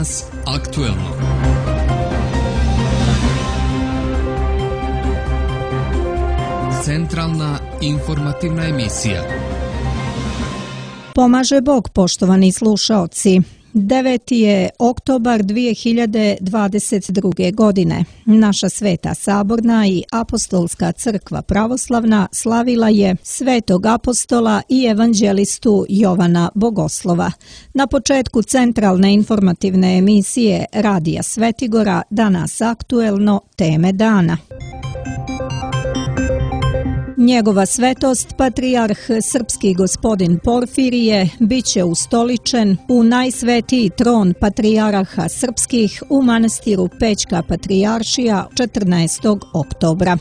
Danas aktuelno. Centralna informativna emisija. Pomaže Bog, poštovani slušaoci. 9. je oktobar 2022. godine. Naša Sveta Saborna i Apostolska crkva pravoslavna slavila je Svetog apostola i evanđelistu Jovana Bogoslova. Na početku centralne informativne emisije Radija Svetigora Danas aktuelno teme dana. Njegova svetost, patrijarh srpski gospodin Porfirije, bit će ustoličen u najsvetiji tron patrijaraha srpskih u manastiru Pećka patrijaršija 14. oktobra.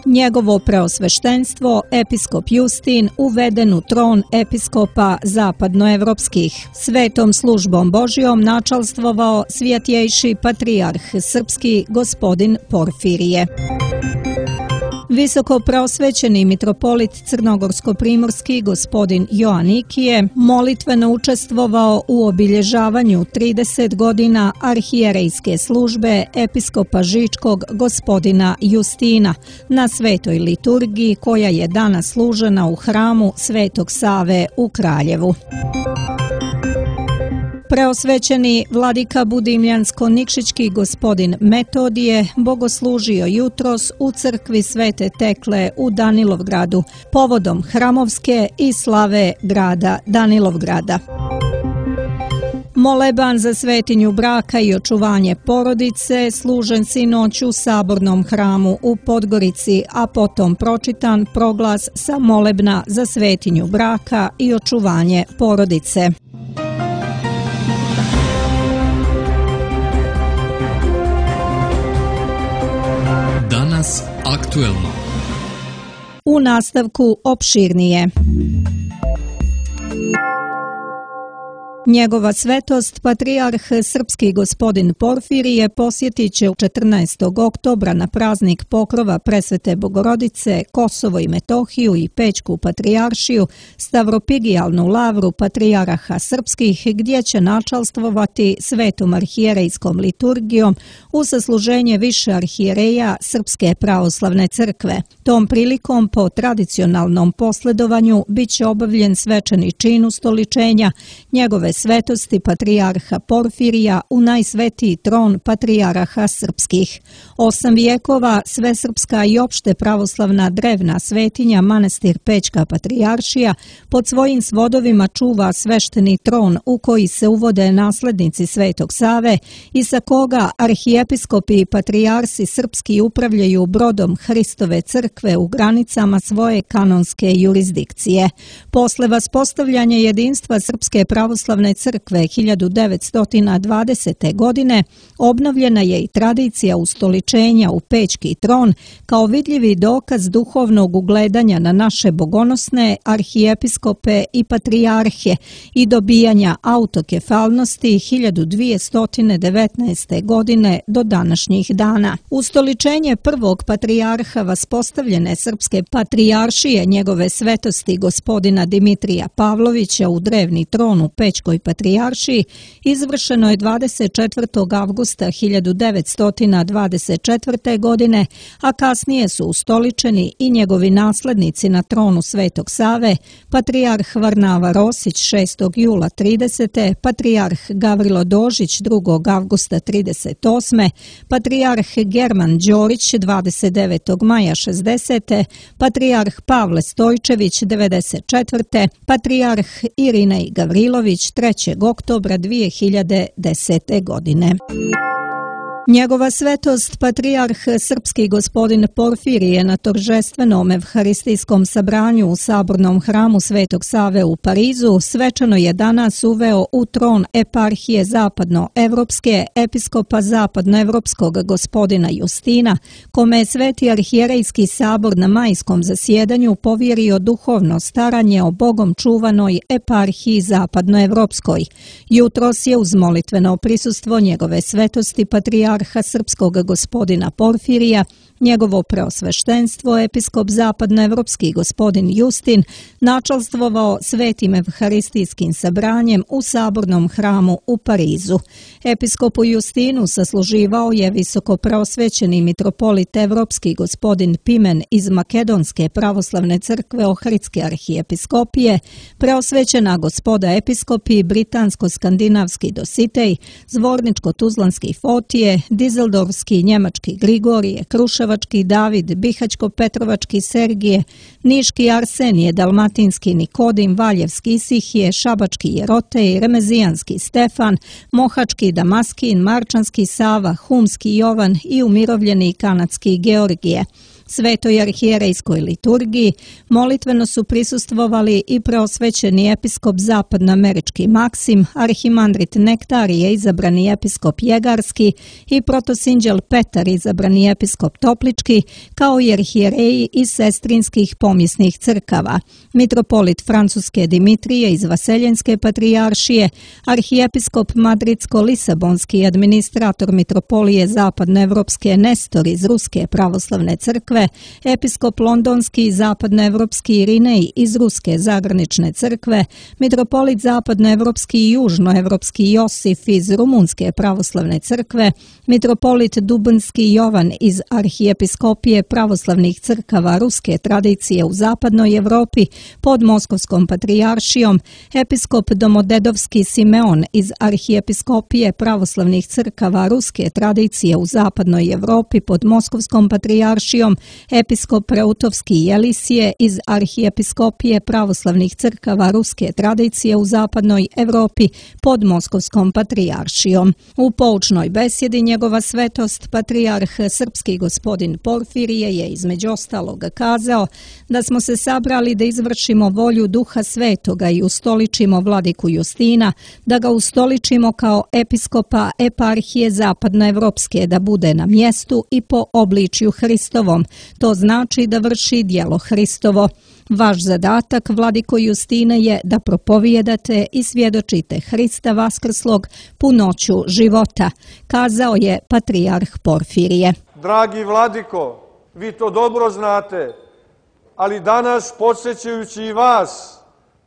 Njegovo preosveštenstvo, episkop Justin, uveden u tron episkopa zapadnoevropskih. Svetom službom Božjom načalstvovao svjetjejši patrijarh srpski gospodin Porfirije. Visoko preosvećeni mitropolit crnogorsko-primorski gospodin Joanikije molitveno učestvovao u obilježavanju 30 godina arhijerejske službe episkopa Žičkog gospodina Justina na svetoj liturgiji koja je danas služena u hramu Svetog Save u Kraljevu. Preosvećeni vladika Budimljansko-Nikšićki gospodin Metodije bogoslužio jutros u crkvi Svete Tekle u Danilovgradu povodom hramovske i slave grada Danilovgrada. Moleban za svetinju braka i očuvanje porodice služen sinoć u Sabornom hramu u Podgorici, a potom pročitan proglas sa molebna za svetinju braka i očuvanje porodice. Danas aktuelno. U nastavku opširnije. Njegova svetost, patrijarh srpski gospodin Porfirije, posjetit će 14. oktobra na praznik pokrova Presvete Bogorodice, Kosovo i Metohiju i Pećku patrijaršiju, Stavropigijalnu lavru patrijaraha srpskih, gdje će načalstvovati svetom arhijerejskom liturgijom u sasluženje više arhijereja Srpske pravoslavne crkve. Tom prilikom po tradicionalnom posledovanju bit će obavljen svečani čin ustoličenja njegove svetosti patrijarha Porfirija u najsvetiji tron patrijaraha srpskih. 8 vijekova svesrpska i opšte pravoslavna drevna svetinja manastir Pećka patrijaršija pod svojim svodovima čuva svešteni tron u koji se uvode naslednici Svetog Save i sa koga arhijepiskopi i patrijarsi srpski upravljaju brodom Hristove crkve u granicama svoje kanonske jurisdikcije. Posle vaspostavljanja jedinstva Srpske pravoslavne crkve 1920. godine obnovljena je i tradicija ustoličenja u Pećki tron kao vidljivi dokaz duhovnog ugledanja na naše bogonosne arhijepiskope i patrijarhe i dobijanja autokefalnosti 1219. godine do današnjih dana. Ustoličenje prvog patrijarha vaspostavljene Srpske patrijaršije njegove svetosti gospodina Dimitrija Pavlovića u drevni tron u Pećkoj patrijaršiji izvršeno je 24. avgusta 1924. godine, a kasnije su ustoličeni i njegovi naslednici na tronu Svetog Save, patrijarh Varnava Rosić 6. jula 30., patrijarh Gavrilo Dožić 2. avgusta 38., patrijarh German Đorić 29. maja 60., patrijarh Pavle Stojčević 94., patrijarh Irinej Gavrilović 3. oktobra 2010. godine. Njegova svetost, patrijarh srpski gospodin Porfirije na toržestvenom evharistijskom sabranju u Sabornom hramu Svetog Save u Parizu svečano je danas uveo u tron eparhije zapadnoevropske episkopa zapadnoevropskog gospodina Justina, kome je Sveti arhijerejski sabor na majskom zasjedanju povjerio duhovno staranje o Bogom čuvanoj eparhiji zapadnoevropskoj. Jutros je uz molitveno prisustvo njegove svetosti patrijarha srpskog gospodina Porfirija Njegovo preosveštenstvo, episkop zapadnoevropski gospodin Justin, načalstvovao svetim evharistijskim sabranjem u sabornom hramu u Parizu. Episkopu Justinu sasluživao je visoko preosvećeni mitropolit evropski gospodin Pimen iz Makedonske pravoslavne crkve Ohridske arhijepiskopije, preosvećena gospoda episkopi britansko-skandinavski Dositej, zvorničko-tuzlanski Fotije, dizeldorfski njemački Grigorije, kruševački David, bihaćko-petrovački Sergije, niški Arsenije, dalmatinski Nikodim, valjevski Isihije, šabački Jerotej, remezijanski Stefan, mohački Damaskin, marčanski Sava, humski Jovan i umirovljeni kanadski Georgije. Svetoj arhijerejskoj liturgiji molitveno su prisustvovali i preosvećeni episkop zapadnoamerički Maksim, arhimandrit Nektarije, izabrani episkop Jegarski i protosinđel Petar, izabrani episkop Toplički, kao i arhijereji iz sestrinskih pomjesnih crkava, mitropolit Francuske Dimitrije iz Vaseljenske patrijaršije, arhijepiskop Madridsko-Lisabonski i administrator mitropolije zapadnoevropske Nestor iz Ruske pravoslavne crkve, episkop londonski i zapadnoevropski Irinej iz Ruske zagranične crkve, mitropolit zapadnoevropski i južnoevropski Josif iz Rumunske pravoslavne crkve, mitropolit Dubinski Jovan iz arhijepiskopije pravoslavnih crkava ruske tradicije u zapadnoj Evropi pod Moskovskom patrijaršijom, episkop Domodedovski Simeon iz arhijepiskopije pravoslavnih crkava ruske tradicije u zapadnoj Evropi pod Moskovskom patrijaršijom, episkop Reutovski Jelisije iz arhijepiskopije pravoslavnih crkava ruske tradicije u zapadnoj Evropi pod Moskovskom patrijaršijom. U poučnoj besjedi njegova svetost, patrijarh srpski gospodin Porfirije, je između ostalog kazao da smo se sabrali da izvršimo volju Duha Svetoga i ustoličimo vladiku Justina, da ga ustoličimo kao episkopa eparhije zapadnoevropske, da bude na mjestu i po obličju Hristovom. To znači da vrši djelo Hristovo. Vaš zadatak, vladiko Justine, je da propovijedate i svjedočite Hrista vaskrslog punoću života, kazao je patrijarh Porfirije. Dragi vladiko, vi to dobro znate, ali danas, podsjećajući i vas,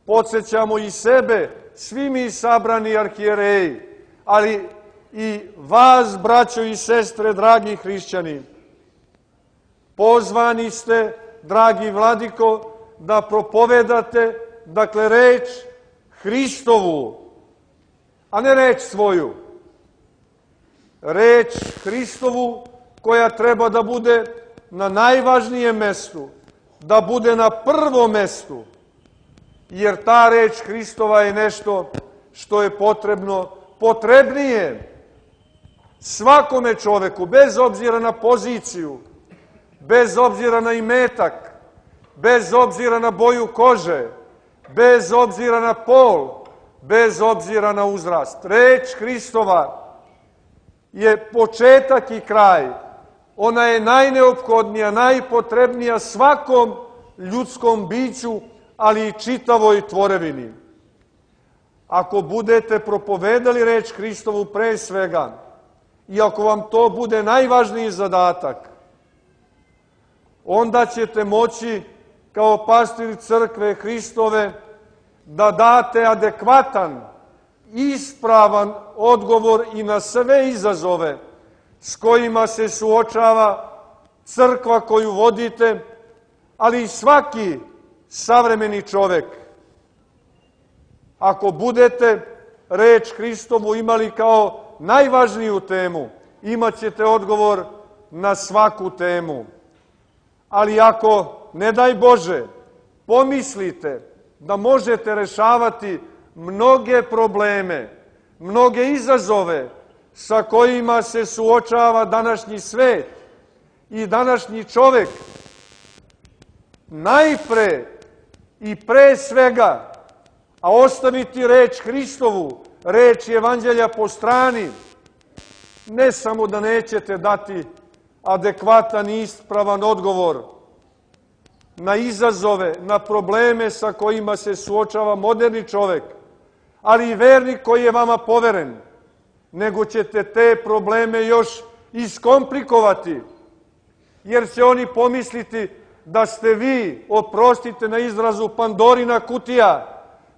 podsjećamo i sebe, svi mi sabrani arhijereji, ali i vas, braćo i sestre, dragi hrišćani. Pozvani ste, dragi vladiko, da propovedate, dakle, reč Hristovu, a ne reč svoju. Reč Hristovu koja treba da bude na najvažnijem mestu, da bude na prvom mestu, jer ta reč Hristova je nešto što je potrebnije svakome čoveku, bez obzira na poziciju, bez obzira na imetak, bez obzira na boju kože, bez obzira na pol, bez obzira na uzrast. Reč Hristova je početak i kraj. Ona je najneophodnija, najpotrebnija svakom ljudskom biću, ali i čitavoj tvorevini. Ako budete propovedali reč Hristovu pre svega, i ako vam to bude najvažniji zadatak, onda ćete moći kao pastir crkve Hristove da date adekvatan, ispravan odgovor i na sve izazove s kojima se suočava crkva koju vodite, ali i svaki savremeni čovek. Ako budete reč Hristovu imali kao najvažniju temu, imat ćete odgovor na svaku temu. Ali ako, ne daj Bože, pomislite da možete rešavati mnoge probleme, mnoge izazove sa kojima se suočava današnji svet i današnji čovek, najpre i pre svega, a ostaviti reč Hristovu, reč Evanđelja po strani, ne samo da nećete dati adekvatan i ispravan odgovor na izazove, na probleme sa kojima se suočava moderni čovek, ali i vernik koji je vama poveren, nego ćete te probleme još iskomplikovati, jer će oni pomisliti da ste vi, oprostite na izrazu, Pandorina kutija,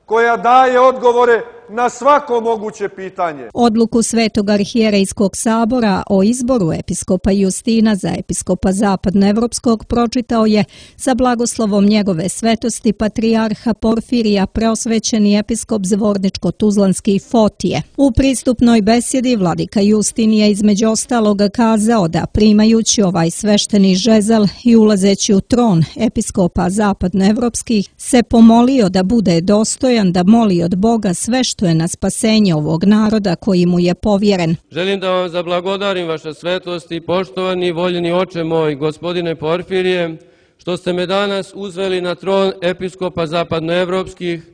koja daje odgovore na svako moguće pitanje. Odluku Svetog arhijerejskog sabora o izboru episkopa Justina za episkopa Zapadnoevropskog pročitao je sa blagoslovom njegove svetosti patrijarha Porfirija preosvećeni episkop Zvorničko-Tuzlanski Fotije. U pristupnoj besjedi vladika Justin je između ostaloga kazao da primajući ovaj svešteni žezal i ulazeći u tron episkopa Zapadnoevropskih se pomolio da bude dostojan da moli od Boga sve što je na spasenje ovog naroda koji mu je povjeren. Želim da vam zablagodarim vaša svetosti, poštovani i voljeni oče moj, gospodine Porfirije, što ste me danas uzveli na tron episkopa zapadnoevropskih,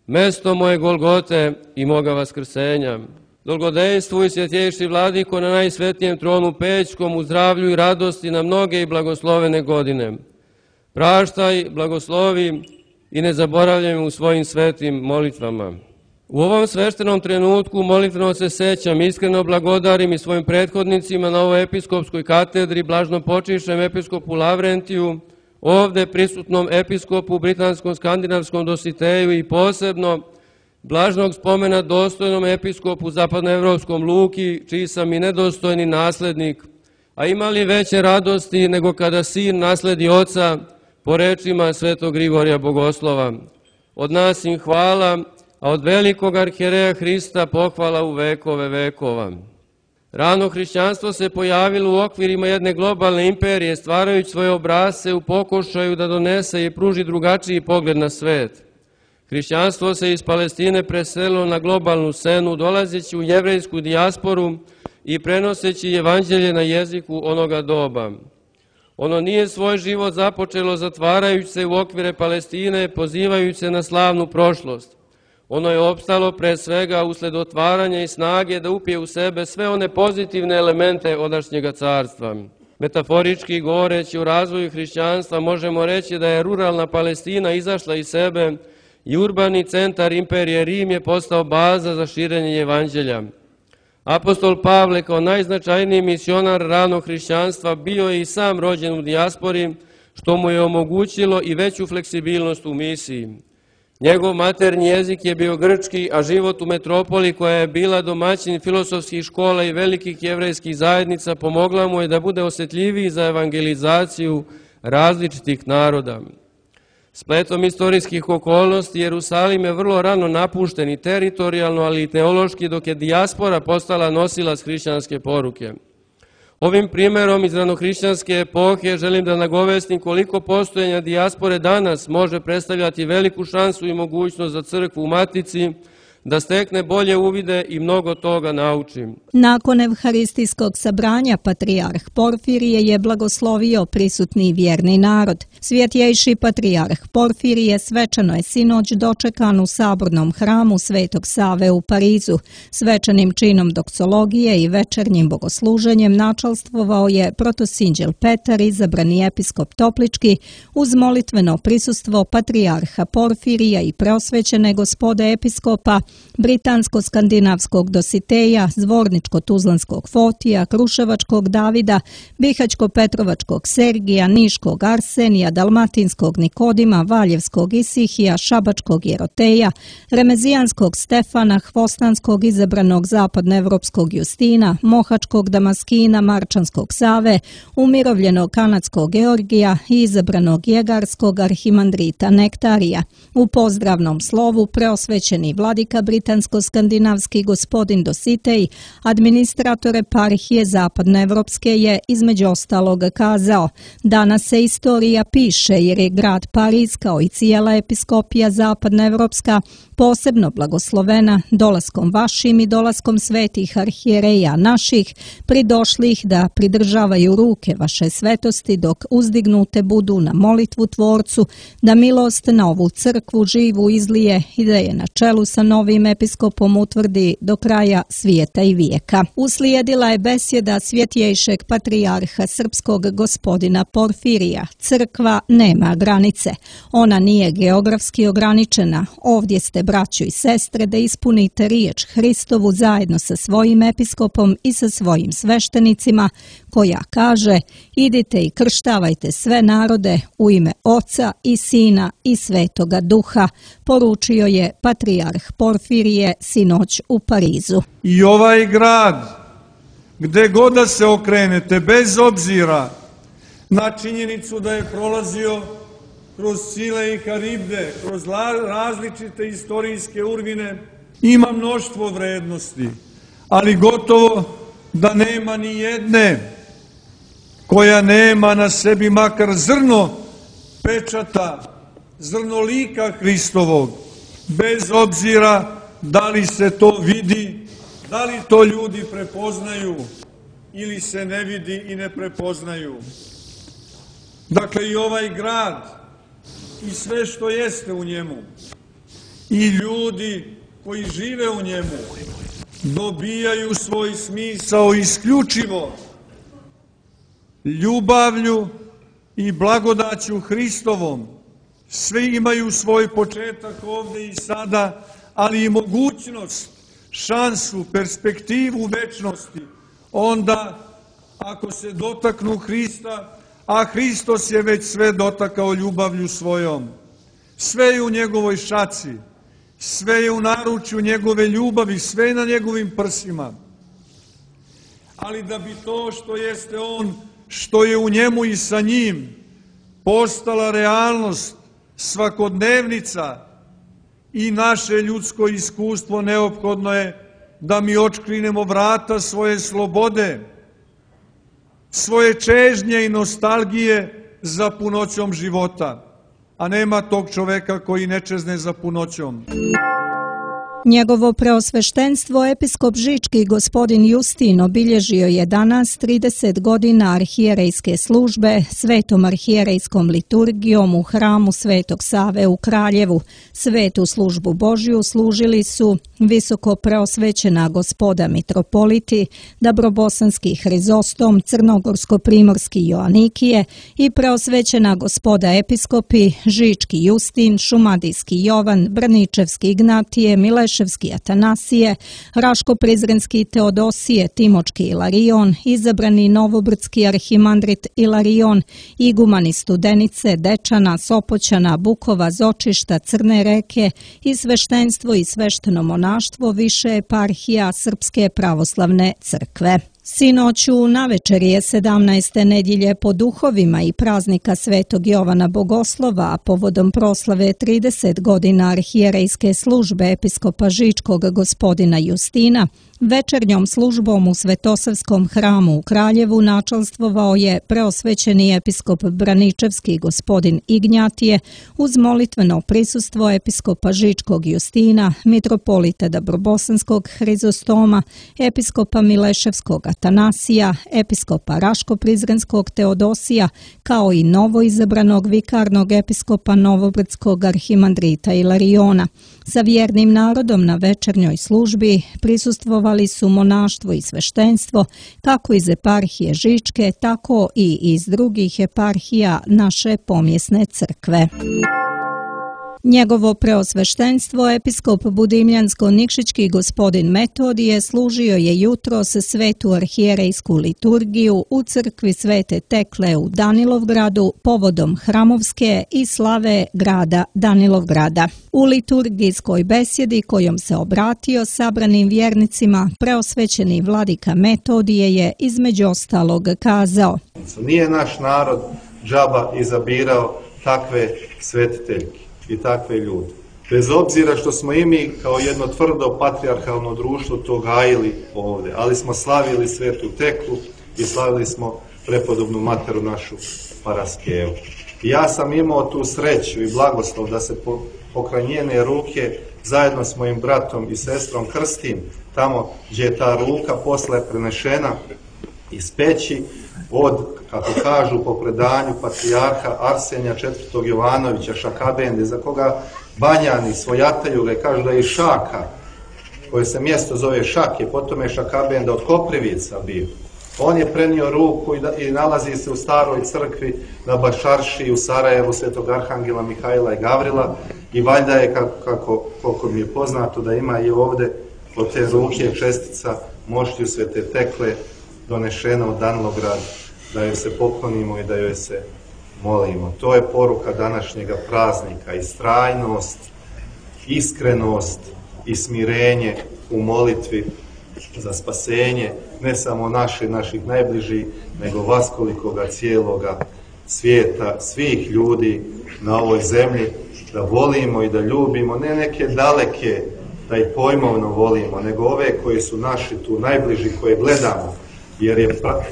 mesto moje Golgote i moga vaskrsenja. Dolgodenstvuj, svjetjejši vladiko, na najsvetnijem tronu Pećkom, u zdravlju i radosti na mnoge i blagoslovene godine. Praštaj, blagoslovi i ne zaboravljaj me u svojim svetim molitvama. U ovom sveštenom trenutku molitveno se sećam, iskreno blagodarim i svojim prethodnicima na ovoj episkopskoj katedri, blažnopočišem episkopu Lavrentiju, ovde prisutnom episkopu britanskom skandinavskom Dositeju i posebno blažnog spomena dostojnom episkopu zapadnoevropskom Luki, čiji sam i nedostojni naslednik, a imali veće radosti nego kada sin nasledi oca, po rečima svetog Grigorija Bogoslova. Od nas im hvala, a od velikog arhijereja Hrista pohvala u vekove vekova. Rano hrišćanstvo se pojavilo u okvirima jedne globalne imperije, stvarajući svoje obrasce u pokušaju da donese i pruži drugačiji pogled na svet. Hrišćanstvo se iz Palestine preselilo na globalnu scenu, dolazeći u jevrejsku dijasporu i prenoseći evanđelje na jeziku onoga doba. Ono nije svoj život započelo zatvarajući se u okvire Palestine, pozivajući se na slavnu prošlost. Ono je opstalo pre svega usled otvaranja i snage da upije u sebe sve one pozitivne elemente odašnjega carstva. Metaforički govoreći o razvoju hrišćanstva možemo reći da je ruralna Palestina izašla iz sebe i urbani centar imperije Rim je postao baza za širenje evanđelja. Apostol Pavle kao najznačajniji misionar ranog hrišćanstva bio je i sam rođen u dijaspori, što mu je omogućilo i veću fleksibilnost u misiji. Njegov maternji jezik je bio grčki, a život u metropoli koja je bila domaćin filosofskih škola i velikih jevrejskih zajednica pomogla mu je da bude osjetljiviji za evangelizaciju različitih naroda. Spletom istorijskih okolnosti Jerusalim je vrlo rano napušten i teritorijalno, ali i teološki, dok je dijaspora postala nosilac hrišćanske poruke. Ovim primjerom iz ranohrišćanske epohe želim da nagovestim koliko postojanja dijaspore danas može predstavljati veliku šansu i mogućnost za crkvu u Matici, da stekne bolje uvide i mnogo toga naučim. Nakon evharistijskog sabranja patrijarh Porfirije je blagoslovio prisutni vjerni narod. Svjetjejši patrijarh Porfirije svečano je sinoć dočekan u sabornom hramu Svetog Save u Parizu. Svečanim činom doksologije i večernjim bogosluženjem načalstvovao je protosinđel Petar, izabrani episkop Toplički, uz molitveno prisustvo patrijarha Porfirija i preosvećene gospode episkopa, britansko-skandinavskog Dositeja, Zvorničko-Tuzlanskog Fotija, Kruševačkog Davida, Bihaćko-Petrovačkog Sergija, Niškog Arsenija, Dalmatinskog Nikodima, Valjevskog Isihija, Šabačkog Jeroteja, Remezijanskog Stefana, Hvostanskog izabranog zapadnoevropskog Justina, Mohačkog Damaskina, Marčanskog Save, umirovljenog kanadskog Georgija i izabranog jegarskog arhimandrita Nektarija. U pozdravnom slovu preosvećeni vladika britansko-skandinavski gospodin Dositej, administrator eparhije zapadnoevropske, je između ostaloga kazao: danas se istorija piše jer je grad Pariz kao i cijela episkopija zapadnoevropska posebno blagoslovena dolaskom vašim i dolaskom svetih arhijereja naših, pridošlih da pridržavaju ruke vaše svetosti dok uzdignute budu na molitvu Tvorcu, da milost na ovu crkvu živu izlije i da je na čelu sa novim episkopom utvrdi do kraja svijeta i vijeka. Uslijedila je besjeda svjetjejšeg patrijarha srpskog gospodina Porfirija. Crkva nema granice. Ona nije geografski ograničena. Ovdje ste braćo i sestre, da ispunite riječ Hristovu zajedno sa svojim episkopom i sa svojim sveštenicima, koja kaže: idite i krštavajte sve narode u ime Oca i Sina i Svetoga Duha, poručio je patrijarh Porfirije sinoć u Parizu. I ovaj grad, gde god da se okrenete, bez obzira na činjenicu da je prolazio kroz Čile i Karibde, kroz različite istorijske urvine, ima mnoštvo vrednosti, ali gotovo da nema ni jedne koja nema na sebi makar zrno pečata, zrno lika Hristovog, bez obzira da li se to vidi, da li to ljudi prepoznaju ili se ne vidi i ne prepoznaju. Dakle, i ovaj grad i sve što jeste u njemu i ljudi koji žive u njemu dobijaju svoj smisao isključivo ljubavlju i blagodaću Hristovom. Svi imaju svoj početak ovde i sada, ali i mogućnost, šansu, perspektivu večnosti. Onda, ako se dotaknu Hrista, a Hristos je već sve dotakao ljubavlju svojom. Sve je u njegovoj šaci, sve je u naručju njegove ljubavi, sve je na njegovim prsima. Ali da bi to što jeste on, što je u njemu i sa njim, postala realnost, svakodnevnica i naše ljudsko iskustvo, neophodno je da mi otškrinemo vrata svoje slobode, svoje čežnje i nostalgije za punoćom života, a nema tog čoveka koji ne čezne za punoćom. Njegovo preosveštenstvo episkop Žički gospodin Justin obilježio je danas 30 godina arhijerejske službe svetom arhijerejskom liturgijom u hramu Svetog Save u Kraljevu. Svetu službu Božju služili su visoko preosvećena gospoda mitropoliti, Dabrobosanski Hrizostom, Crnogorsko-primorski Joanikije i preosvećena gospoda episkopi Žički Justin, Šumadijski Jovan, Brničevski Ignatije, Mileševski Atanasije, Raško-Prizrenski Teodosije, Timočki Ilarion, izabrani Novobrdski arhimandrit Ilarion, igumani Studenice, Dečana, Sopoćana, Bukova, Zočišta, Crne Reke i sveštenstvo i svešteno monaštvo više eparhija Srpske pravoslavne crkve. Sinoć u navečerje 17. nedjelje po duhovima i praznika Svetog Jovana Bogoslova, a povodom proslave 30 godina arhijerejske službe episkopa Žičkog gospodina Justina, večernjom službom u Svetosavskom hramu u Kraljevu načalstvovao je preosvećeni episkop Braničevski gospodin Ignjatije uz molitveno prisustvo episkopa Žičkog Justina, mitropolita Dabrobosanskog Hrizostoma, episkopa Mileševskog Atanasija, episkopa Raško-Prizrenskog Teodosija, kao i novoizabranog vikarnog episkopa Novobrdskog arhimandrita Ilariona. Sa vjernim narodom na večernjoj službi prisustvovali su monaštvo i sveštenstvo, kako iz eparhije Žičke, tako i iz drugih eparhija naše pomjesne crkve. Njegovo preosveštenstvo, episkop Budimljansko-Nikšićki gospodin Metodije, služio je jutros svetu arhijerejsku liturgiju u crkvi Svete Tekle u Danilovgradu povodom hramovske i slave grada Danilovgrada. U liturgijskoj besjedi kojom se obratio sabranim vjernicima, preosvećeni vladika Metodije je između ostalog kazao: Nije naš narod džaba izabirao takve svetiteljke i takve ljude. Bez obzira što smo i mi kao jedno tvrdo patrijarhalno društvo to gajili ovdje, ali smo slavili Svetu Teklu i slavili smo prepodobnu materu našu Paraskevu. I ja sam imao tu sreću i blagoslov da se pokraj njene ruke zajedno s mojim bratom i sestrom krstim tamo gdje je ta ruka posle prenešena iz peći od, kako kažu po predanju, patrijarha Arsenija IV. Jovanovića Šakabende, za koga Banjani svojataju ga kažu da je Šaka, koje se mjesto zove Šake, potom je Šakabenda od Koprivica bio. On je prenio ruku i nalazi se u staroj crkvi na Bašarši u Sarajevu Svetog Arhangela Mihajla i Gavrila I valjda je, koliko mi je poznato, da ima i ovde od te ruke čestica moštiju Svete Tekle donešena u Danilograd, da joj se poklonimo i da joj se molimo. To je poruka današnjega praznika, istrajnost, iskrenost i smirenje u molitvi za spasenje, ne samo naših najbližih, nego vaskolikoga cijeloga svijeta, svih ljudi na ovoj zemlji, da volimo i da ljubimo, ne neke daleke, da ih pojmovno volimo, nego ove koji su naši tu najbliži, koje gledamo,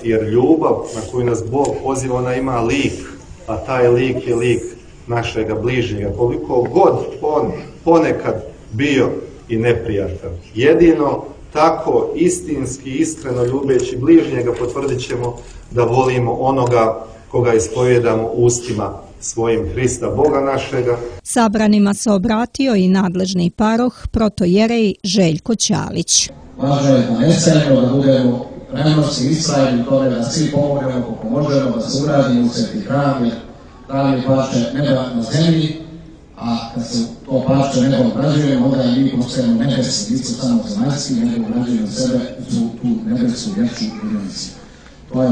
jer ljubav na koju nas Bog poziva, ona ima lik, a taj lik je lik našega bližnjega, koliko god on ponekad bio i neprijatan. Jedino tako istinski, iskreno ljubeći bližnjega potvrdit ćemo da volimo onoga koga ispovjedamo ustima svojim, Hrista Boga našega. Sabranima se obratio i nadležni paroh protojerej Željko Ćalić. Važno je da ne stajemo, da budemo revnosti istrajni u tome, da svi pomognemo kako možemo, da se uradimo u sveti hram, jer hram je parče neba na zemlji, a kad se to parče neba obrađujemo, onda i mi postajemo nebesi, nisu samo zemaljski, nego obrađujemo sebe u tu nebesku vječnu jedinicu. To je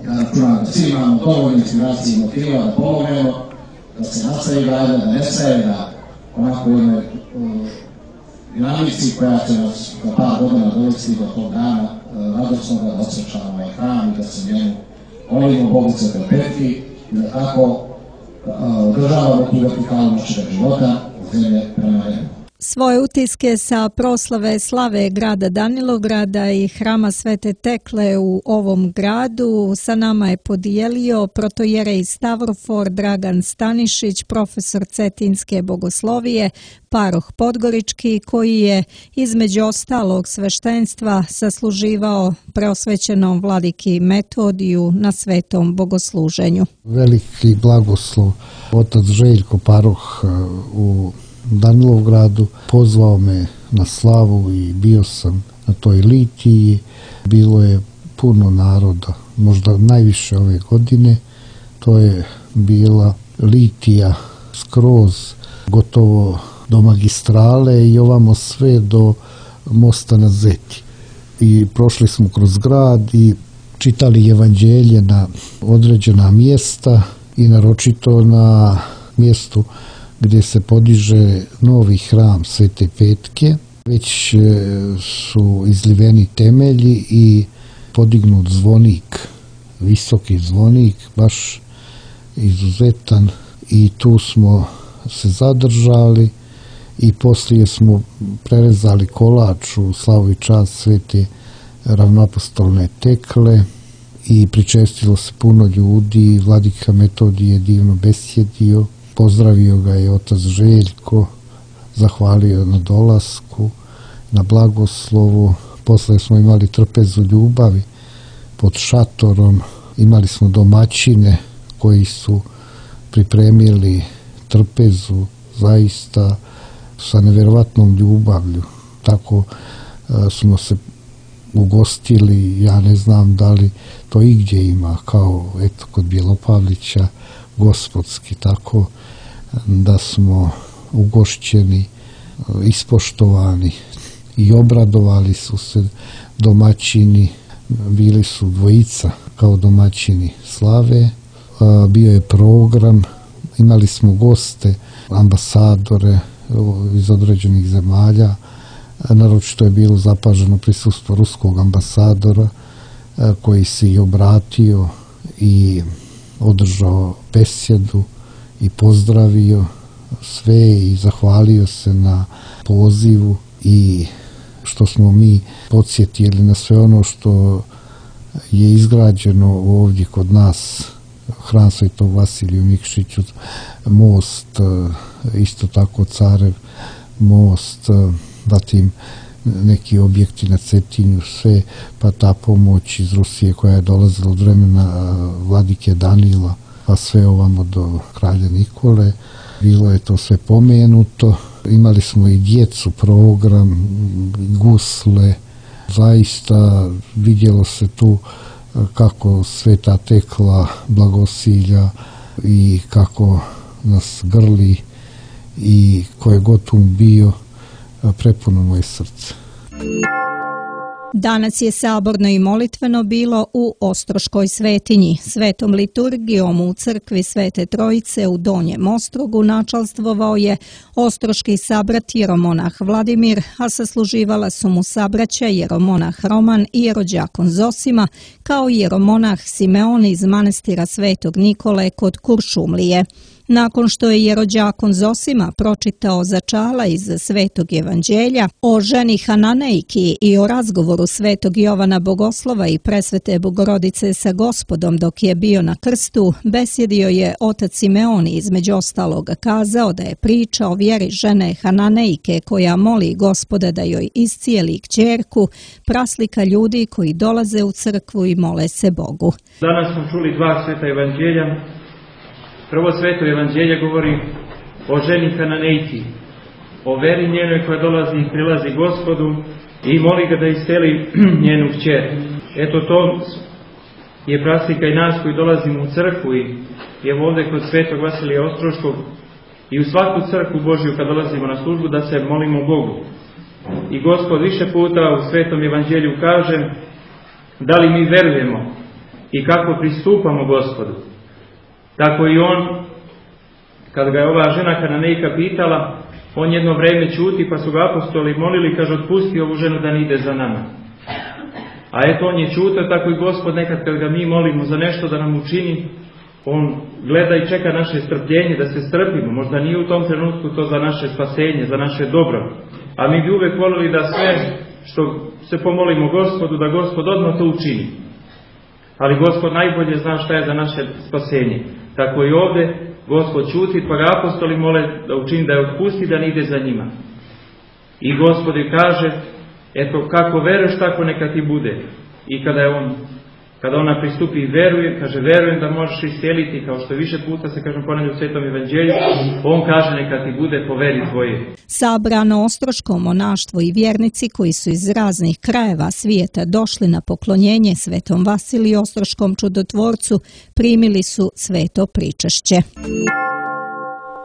ja računam da svi imamo dovoljno inspiracije i motiva da pomognemo, da se nastavi gajda, da ne staje, da onako jednoj dinamici koja će nas za par godina dovesti do tog dana radosnoga, da osjećamo ovaj hram i da se njemu molimo Bogu Svete Petri i da tako održavamo tu vertikalu našeg života od zemlje prema nebu. Svoje utiske sa proslave slave grada Danilograda i hrama Svete Tekle u ovom gradu sa nama je podijelio protojerej Stavrofor Dragan Stanišić, profesor Cetinske bogoslovije, paroh Podgorički, koji je između ostalog sveštenstva sasluživao preosvećenom vladiki Metodiju na svetom bogosluženju. Veliki blagoslov otac Željko, paroh u Danilovgradu, pozvao me na slavu i bio sam na toj litiji. Bilo je puno naroda, možda najviše ove godine. To je bila litija skroz gotovo do magistrale i ovamo sve do mosta na Zeti. I prošli smo kroz grad i čitali evanđelje na određena mjesta i naročito na mjestu gdje se podiže novi hram Svete Petke. Već su izliveni temelji i podignut zvonik, visoki zvonik, baš izuzetan, i tu smo se zadržali i poslije smo prerezali kolač u slavu i čast Svete ravnoapostolne Tekle i pričestilo se puno ljudi. Vladika Metodije je divno besjedio. Pozdravio ga je otac Željko, zahvalio na dolasku, na blagoslovu. Posle smo imali trpezu ljubavi pod šatorom, imali smo domaćine koji su pripremili trpezu zaista sa nevjerovatnom ljubavlju. Tako smo se ugostili, ja ne znam da li to igdje ima, kao eto kod Bjelopavlića, gospodski, tako da smo ugošćeni, ispoštovani i obradovali su se domaćini. Bili su dvojica kao domaćini slave, bio je program, imali smo goste, ambasadore iz određenih zemalja, naročito je bilo zapaženo prisustvo ruskog ambasadora koji se i obratio i održao besjedu i pozdravio sve i zahvalio se na pozivu i što smo mi podsjetili na sve ono što je izgrađeno ovdje kod nas, hram Svetog Vasilija u Nikšiću, most, isto tako Carev most, zatim neki objekti na Cetinju, sve, pa ta pomoć iz Rusije koja je dolazila od vremena vladike Danila, pa sve ovamo do kralja Nikole. Bilo je to sve pomenuto. Imali smo i djecu program, gusle. Zaista vidjelo se tu kako Sveta Tekla blagosilja i kako nas grli i koje god um bio, prepuno moje srce. Danas je saborno i molitveno bilo u Ostroškoj svetinji. Svetom liturgijom u crkvi Svete Trojice u Donjem Ostrogu načalstvovao je ostroški sabrat jeromonah Vladimir, a sasluživala su mu sabraća jeromonah Roman i jerođakon Zosima, kao i jeromonah Simeon iz manastira Svetog Nikole kod Kuršumlije. Nakon što je jerođakon Zosima pročitao začala iz Svetog evanđelja o ženi Hananejki i o razgovoru Svetog Jovana Bogoslova i presvete Bogorodice sa Gospodom dok je bio na krstu, besjedio je otac Simeon i između ostaloga kazao da je priča o vjeri žene Hananejke koja moli Gospoda da joj iscijeli kćerku, praslika ljudi koji dolaze u crkvu i mole se Bogu. Danas smo čuli dva sveta evanđelja. Prvo sveto evanđelje govori o ženi Hananejki, o veri njenoj koja dolazi i prilazi Gospodu i moli ga da isceli njenu kćer. Eto to je praslika i nas koji dolazimo u crkvu i evo ovdje kod svetog Vasilija Ostroškog i u svaku crkvu Božju kad dolazimo na službu da se molimo Bogu. I Gospod više puta u svetom evanđelju kaže da li mi verujemo i kako pristupamo Gospodu. Tako i on, kad ga je ova žena Hananejka pitala, on jedno vrijeme ćuti, pa su ga apostoli molili, kaže, otpusti ovu ženu da ne ide za nama. A eto, on je ćutao, tako i Gospod nekad kad ga mi molimo za nešto da nam učini, on gleda i čeka naše strpljenje, da se strpimo. Možda nije u tom trenutku to za naše spasenje, za naše dobro. A mi bi uvijek volili da sve što se pomolimo Gospodu, da Gospod odmah to učini. Ali Gospod najbolje zna šta je za naše spasenje. Tako i ovdje Gospod ćuti, pa ga apostoli mole da učini da je otpusti, da ne ide za njima. I Gospod joj kaže, eto kako veruješ, tako neka ti bude. I kada ona pristupi i veruje, kaže verujem da možeš isceliti, kao što više puta se kaže ponavlja u Svetom evanđelju, on kaže neka ti bude po veri tvoje. Sabrano ostroško monaštvo i vjernici koji su iz raznih krajeva svijeta došli na poklonjenje Svetom Vasiliju Ostroškom čudotvorcu primili su sveto pričašće.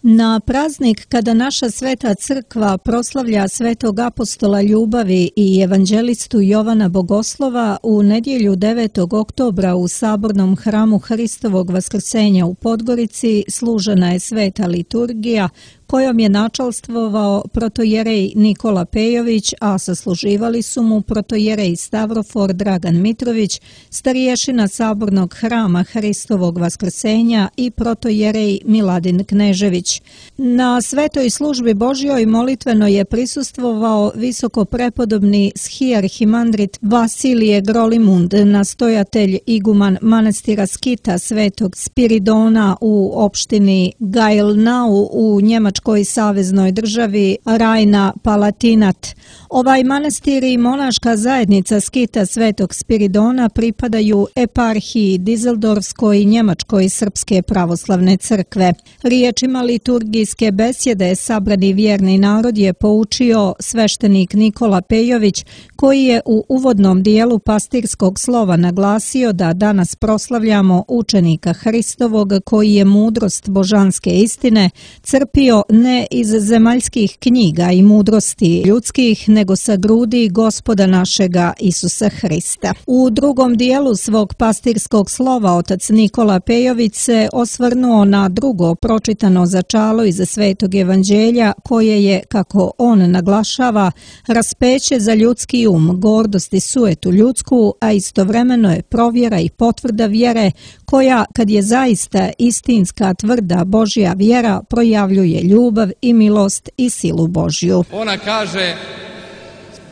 Na praznik kada naša sveta crkva proslavlja svetog apostola ljubavi i evanđelistu Jovana Bogoslova, u nedjelju 9. oktobra u sabornom hramu Hristovog vaskrsenja u Podgorici služena je sveta liturgija kojom je načalstvovao protojerej Nikola Pejović, a sasluživali su mu protojerej Stavrofor Dragan Mitrović, stariješina sabornog hrama Hristovog vaskrsenja i protojerej Miladin Knežević. Na svetoj službi Božjoj molitveno je prisustvovao visoko prepodobni schiarhimandrit Vasilije Grolimund, nastojatelj iguman manastira Skita Svetog Spiridona u opštini Gailnau u Njemačkoj saveznoj državi Rajna-Palatinat. Ovaj manastir i monaška zajednica Skita Svetog Spiridona pripadaju eparhiji Dizeldorfskoj Njemačkoj Srpske pravoslavne crkve. Riječima liturgijske besjede sabrani vjerni narod je poučio sveštenik Nikola Pejović, koji je u uvodnom dijelu pastirskog slova naglasio da danas proslavljamo učenika Hristovog koji je mudrost božanske istine crpio ne iz zemaljskih knjiga i mudrosti ljudskih, nego sa grudi Gospoda našega Isusa Hrista. U drugom dijelu svog pastirskog slova otac Nikola Pejović se osvrnuo na drugo pročitano začalo iz Svetog evanđelja koje je, kako on naglašava, raspeće za ljudski gordost i sujetu ljudsku, a istovremeno je provjera i potvrda vjere koja, kad je zaista istinska tvrda Božja vjera, projavljuje ljubav i milost i silu Božju. Ona kaže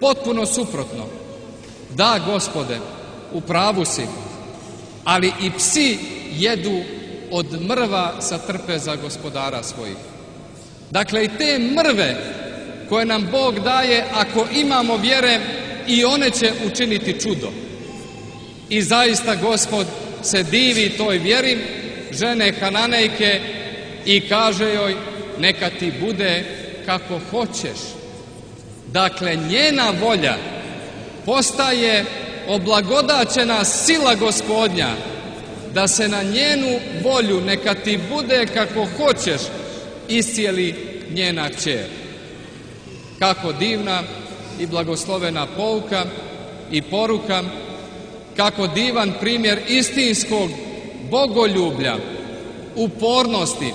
potpuno suprotno. Da, Gospode, u pravu si, ali i psi jedu od mrva sa trpeza gospodara svojih. Dakle, i te mrve koje nam Bog daje, ako imamo vjere, i one će učiniti čudo. I zaista Gospod se divi toj vjeri žene Hananejke i kaže joj neka ti bude kako hoćeš. Dakle, njena volja postaje oblagodaćena sila Gospodnja, da se na njenu volju neka ti bude kako hoćeš iscijeli njena kćer. Kako divna i blagoslovena pouka i poruka, kako divan primjer istinskog bogoljublja, upornosti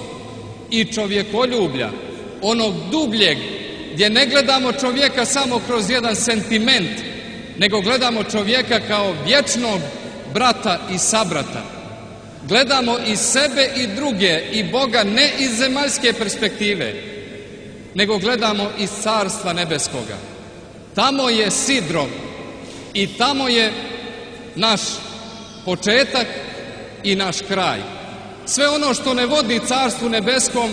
i čovjekoljublja, onog dubljeg, gdje ne gledamo čovjeka samo kroz jedan sentiment, nego gledamo čovjeka kao vječnog brata i sabrata. Gledamo i sebe i druge i Boga ne iz zemaljske perspektive, nego gledamo iz Carstva nebeskoga. Tamo je sidro i tamo je naš početak i naš kraj. Sve ono što ne vodi Carstvu nebeskom,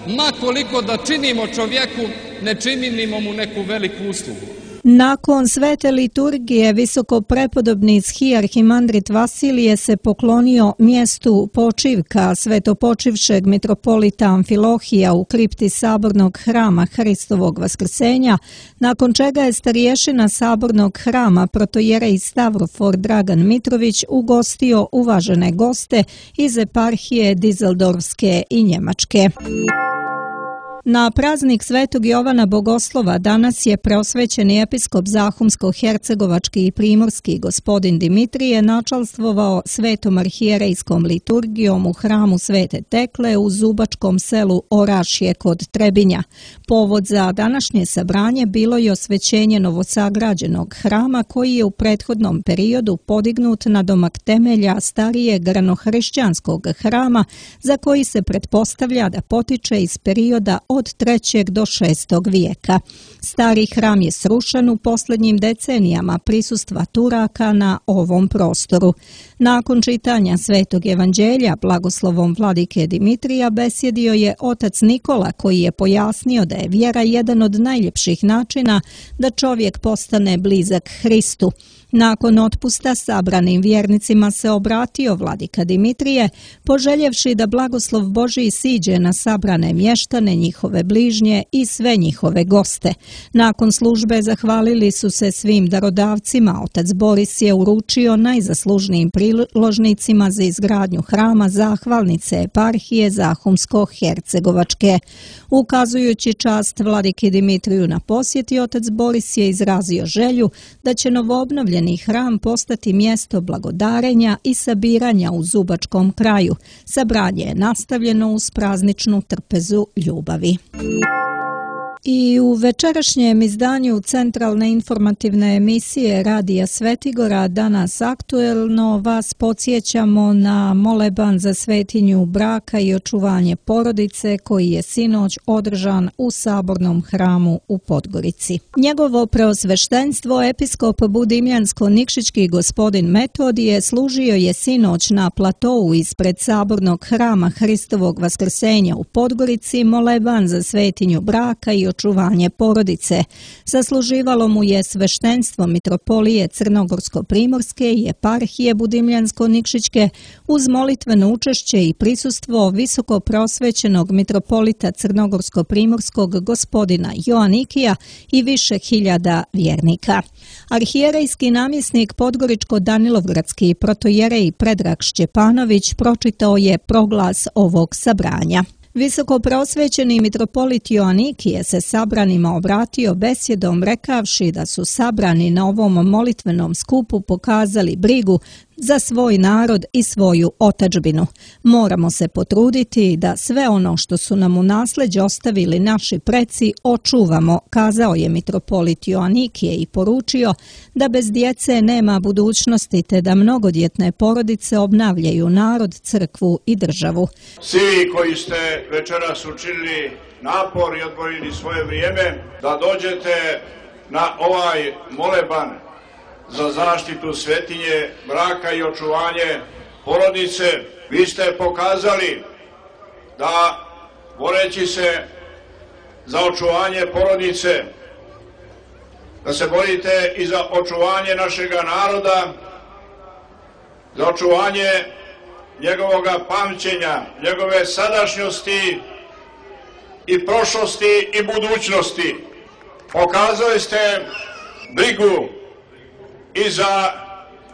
ma koliko da činimo čovjeku, ne činimo mu neku veliku uslugu. Nakon svete liturgije visokoprepodobni arhimandrit Vasilije se poklonio mjestu počivka svetopočivšeg mitropolita Amfilohija u kripti sabornog hrama Hristovog vaskrsenja, nakon čega je starješina sabornog hrama protojerej Stavrofor Dragan Mitrović ugostio uvažene goste iz eparhije Dizeldorfske i Njemačke. Na praznik Svetog Jovana Bogoslova danas je preosvećeni episkop Zahumsko-hercegovački i primorski gospodin Dimitrije načalstvovao svetom arhijerejskom liturgijom u hramu Svete Tekle u Zubačkom selu Orašje kod Trebinja. Povod za današnje sabranje bilo je osvećenje novosagrađenog hrama koji je u prethodnom periodu podignut na domak temelja starijeg ranohrišćanskog hrama za koji se pretpostavlja da potiče iz perioda od 3. do 6. vijeka. Stari hram je srušen u posljednjim decenijama prisustva Turaka na ovom prostoru. Nakon čitanja Svetog evanđelja blagoslovom vladike Dimitrija besjedio je otac Nikola koji je pojasnio da je vjera jedan od najljepših načina da čovjek postane blizak Hristu. Nakon otpusta sabranim vjernicima se obratio vladika Dimitrije, poželjevši da blagoslov Božji siđe na sabrane mještane, njihove bližnje i sve njihove goste. Nakon službe zahvalili su se svim darodavcima. Otac Boris je uručio najzaslužnijim priložnicima za izgradnju hrama zahvalnice eparhije Zahumsko-hercegovačke. Ukazujući čast vladiki Dimitriju na posjeti, otac Boris je izrazio želju da će novoobnovljeni hram postati mjesto blagodarenja i sabiranja u Zubačkom kraju. Sabranje je nastavljeno uz prazničnu trpezu ljubavi. I u večerašnjem izdanju centralne informativne emisije Radija Svetigora danas aktuelno vas podsjećamo na moleban za svetinju braka i očuvanje porodice koji je sinoć održan u sabornom hramu u Podgorici. Njegovo preosveštenstvo episkop Budimljansko-Nikšićki gospodin Metodije služio je sinoć na platou ispred sabornog hrama Hristovog vaskrsenja u Podgorici moleban za svetinju braka i očuvanje porodice. Zasluživalo mu je sveštenstvo mitropolije Crnogorsko-primorske i eparhije Budimljansko-Nikšićke uz molitveno učešće i prisustvo visoko prosvećenog mitropolita Crnogorsko-primorskog gospodina Joanikija i više hiljada vjernika. Arhijerejski namjesnik Podgoričko-Danilovgradski protojerej Predrag Šćepanović pročitao je proglas ovog sabranja. Visoko prosvećeni mitropolit Joanikije se sabranima obratio besjedom rekavši da su sabrani na ovom molitvenom skupu pokazali brigu za svoj narod i svoju otadžbinu. Moramo se potruditi da sve ono što su nam u nasleđe ostavili naši preci očuvamo, kazao je mitropolit Joanikije i poručio da bez djece nema budućnosti te da mnogodjetne porodice obnavljaju narod, crkvu i državu. Svi koji ste večeras učinili napor i odvojili svoje vrijeme da dođete na ovaj moleban za zaštitu svetinje braka i očuvanje porodice, vi ste pokazali da boreći se za očuvanje porodice, da se borite i za očuvanje našega naroda, za očuvanje njegovoga pamćenja, njegove sadašnjosti i prošlosti i budućnosti. Pokazali ste brigu i za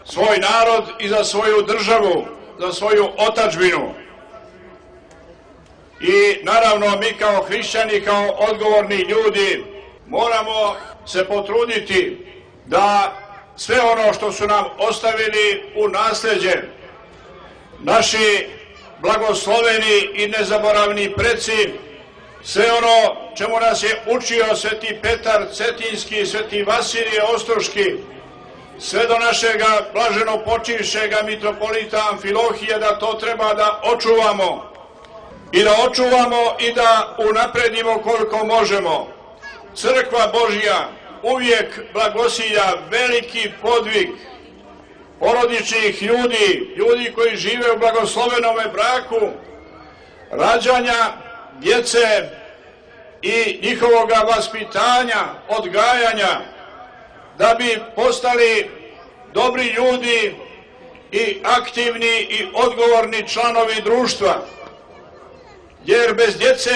svoj narod i za svoju državu, za svoju otadžbinu. I naravno mi kao hrišćani, kao odgovorni ljudi moramo se potruditi da sve ono što su nam ostavili u nasleđe naši blagosloveni i nezaboravni preci, sve ono čemu nas je učio sveti Petar Cetinski, sveti Vasilije Ostroški, sve do našega blaženo počivšega mitropolita Amfilohija, da to treba da očuvamo i da unapredimo koliko možemo. Crkva Božja uvijek blagosilja veliki podvig porodičnih ljudi koji žive u blagoslovenome braku, rađanja djece i njihovoga vaspitanja, odgajanja, da bi postali dobri ljudi i aktivni i odgovorni članovi društva, jer bez djece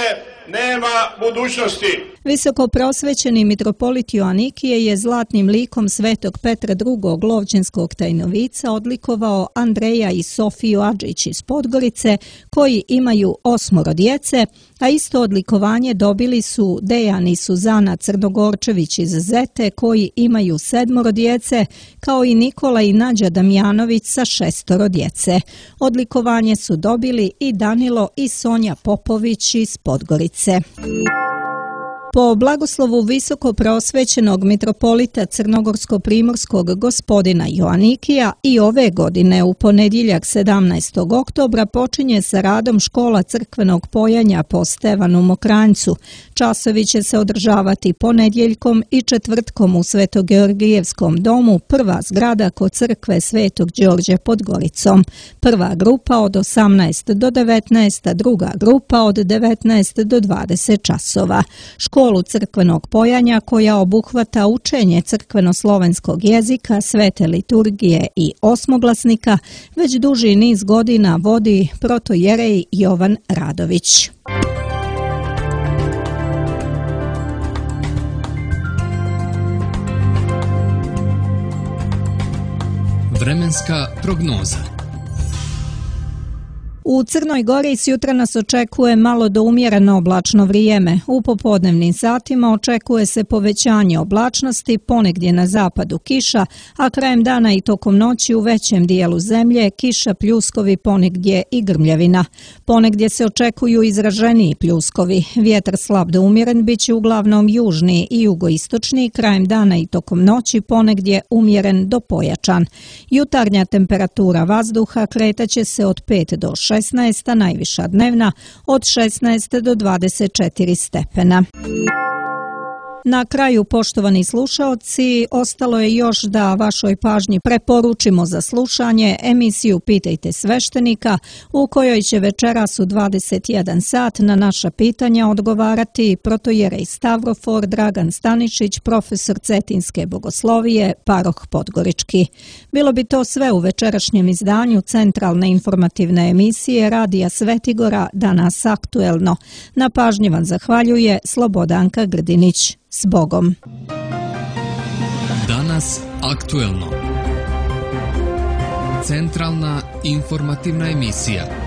nema budućnosti. Visoko prosvećeni mitropolit Joanikije je zlatnim likom svetog Petra II. Lovćenskog Tajnovica odlikovao Andreja i Sofiju Adžić iz Podgorice, koji imaju 8 djece, a isto odlikovanje dobili su Dejan i Suzana Crnogorčević iz Zete, koji imaju 7 djece, kao i Nikola i Nađa Damjanović sa 6 djece. Odlikovanje su dobili i Danilo i Sonja Popović iz Podgorice. Po blagoslovu visoko prosvećenog mitropolita crnogorsko-primorskog gospodina Joanikija i ove godine u ponedjeljak 17. oktobra počinje sa radom škola crkvenog pojanja po Stevanu Mokranjcu. Časovi će se održavati ponedjeljkom i četvrtkom u Svetogeorgijevskom domu, prva zgrada kod crkve Svetog Đorđe pod Goricom. Prva grupa od 18 do 19, druga grupa od 19 do 20 časova. Školu crkvenog pojanja, koja obuhvata učenje crkveno-slovenskog jezika, svete liturgije i osmoglasnika, već duži niz godina vodi protojerej Jovan Radović. Vremenska prognoza. U Crnoj Gori sjutra nas očekuje malo do umjereno oblačno vrijeme. U popodnevnim satima očekuje se povećanje oblačnosti, ponegdje na zapadu kiša, a krajem dana i tokom noći u većem dijelu zemlje kiša, pljuskovi, ponegdje i grmljavina. Ponegdje se očekuju izraženiji pljuskovi. Vjetar slab do umjeren bit će uglavnom južni i jugoistočni, krajem dana i tokom noći ponegdje umjeren do pojačan. Jutarnja temperatura vazduha kretaće se od 5 do 16, najviša dnevna od 16 do 24 stepena. Na kraju, poštovani slušaoci, ostalo je još da vašoj pažnji preporučimo za slušanje emisiju Pitajte sveštenika, u kojoj će večeras u 21 sat na naša pitanja odgovarati protojerej Stavrofor Dragan Stanišić, profesor Cetinske bogoslovije, paroh Podgorički. Bilo bi to sve u večerašnjem izdanju centralne informativne emisije Radija Svetigora, danas aktuelno. Na pažnji vam zahvaljuje Slobodanka Grdinić. S Bogom. Danas aktuelno. Centralna informativna emisija.